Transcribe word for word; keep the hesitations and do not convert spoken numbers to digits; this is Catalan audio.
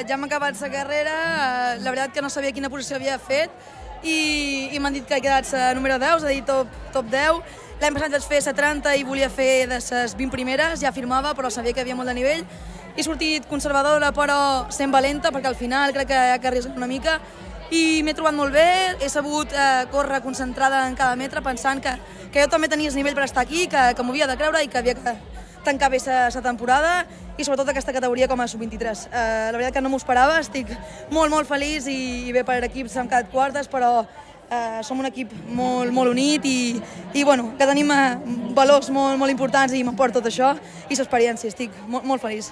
ja hem acabat la carrera, la veritat que no sabia quina posició havia fet i, i m'han dit que he quedat a número deu, és a dir, top, top deu. L'any passat vaig fer la trenta i volia fer de les vint primeres, ja firmava, però sabia que hi havia molt de nivell. He sortit conservadora, però sent valenta, perquè al final crec que hi ha que arriscar una mica. I m'he trobat molt bé, he sabut eh, córrer concentrada en cada metre, pensant que, que jo també tenia el nivell per estar aquí, que, que m'ho havia de creure i que havia que tancar bé la temporada i sobretot aquesta categoria com a sub vint-i-tres. Eh, la veritat que no m'ho esperava, estic molt, molt feliç i, i bé per equips hem quedat quartes, però eh, som un equip molt, molt unit i, i bueno, que tenim eh, valors molt, molt importants i m'emporta tot això i l'experiència, estic molt, molt feliç.